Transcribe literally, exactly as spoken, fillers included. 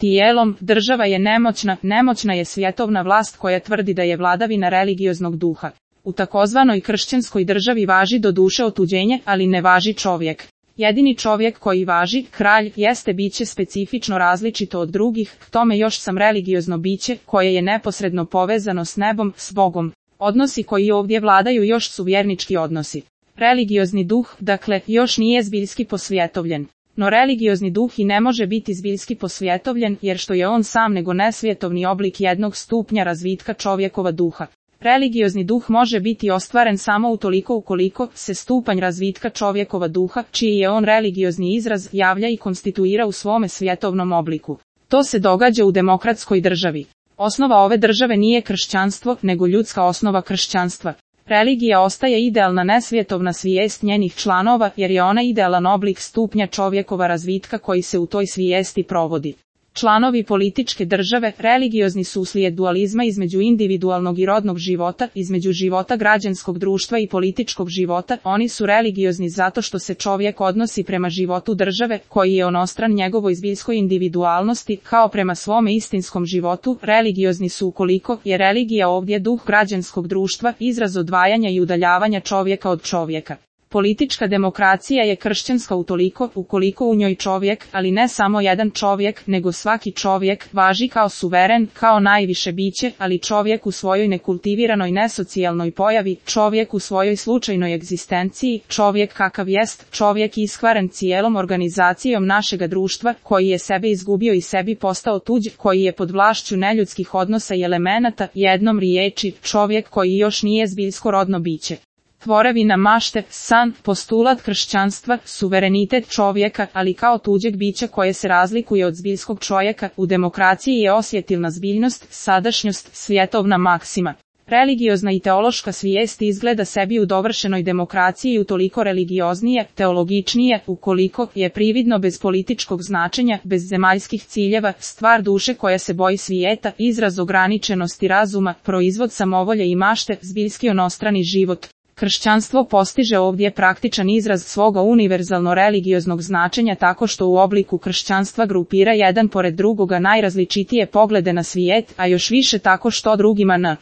tijelom, država je nemoćna, nemoćna je svjetovna vlast koja tvrdi da je vladavina religioznog duha. U takozvanoj kršćanskoj državi važi doduše otuđenje, ali ne važi čovjek. Jedini čovjek koji važi, kralj, jeste biće specifično različito od drugih, k tome još sam religiozno biće, koje je neposredno povezano s nebom, s Bogom. Odnosi koji ovdje vladaju još su vjernički odnosi. Religiozni duh, dakle, još nije zbiljski posvjetovljen. No religiozni duh i ne može biti zbiljski posvjetovljen, jer što je on sam nego nesvjetovni oblik jednog stupnja razvitka čovjekova duha. Religiozni duh može biti ostvaren samo utoliko ukoliko se stupanj razvitka čovjekova duha, čiji je on religiozni izraz, javlja i konstituira u svome svjetovnom obliku. To se događa u demokratskoj državi. Osnova ove države nije kršćanstvo, nego ljudska osnova kršćanstva. Religija ostaje idealna nesvjetovna svijest njenih članova, jer je ona idealan oblik stupnja čovjekova razvitka koji se u toj svijesti provodi. Članovi političke države religiozni su uslijed dualizma između individualnog i rodnog života, između života građanskog društva i političkog života. Oni su religiozni zato što se čovjek odnosi prema životu države, koji je onostran njegovoj zbiljskoj individualnosti, kao prema svome istinskom životu. Religiozni su ukoliko je religija ovdje duh građanskog društva, izraz odvajanja i udaljavanja čovjeka od čovjeka. Politička demokracija je kršćanska utoliko, ukoliko u njoj čovjek, ali ne samo jedan čovjek, nego svaki čovjek, važi kao suveren, kao najviše biće, ali čovjek u svojoj nekultiviranoj nesocijalnoj pojavi, čovjek u svojoj slučajnoj egzistenciji, čovjek kakav jest, čovjek iskvaren cijelom organizacijom našega društva, koji je sebe izgubio i sebi postao tuđ, koji je pod vlašću neljudskih odnosa i elemenata, jednom riječi, čovjek koji još nije zbiljsko rodno biće. Tvorevina mašte, san, postulat kršćanstva, suverenitet čovjeka, ali kao tuđeg bića koje se razlikuje od zbiljskog čovjeka, u demokraciji je osjetilna zbiljnost, sadašnjost, svjetovna maksima. Religiozna i teološka svijest izgleda sebi u dovršenoj demokraciji utoliko religioznije, teologičnije, ukoliko je prividno bez političkog značenja, bez zemaljskih ciljeva, stvar duše koja se boji svijeta, izraz ograničenosti razuma, proizvod samovolje i mašte, zbiljski onostrani život. Kršćanstvo postiže ovdje praktičan izraz svoga univerzalno religioznog značenja tako što u obliku kršćanstva grupira jedan pored drugoga najrazličitije poglede na svijet, a još više tako što drugima n.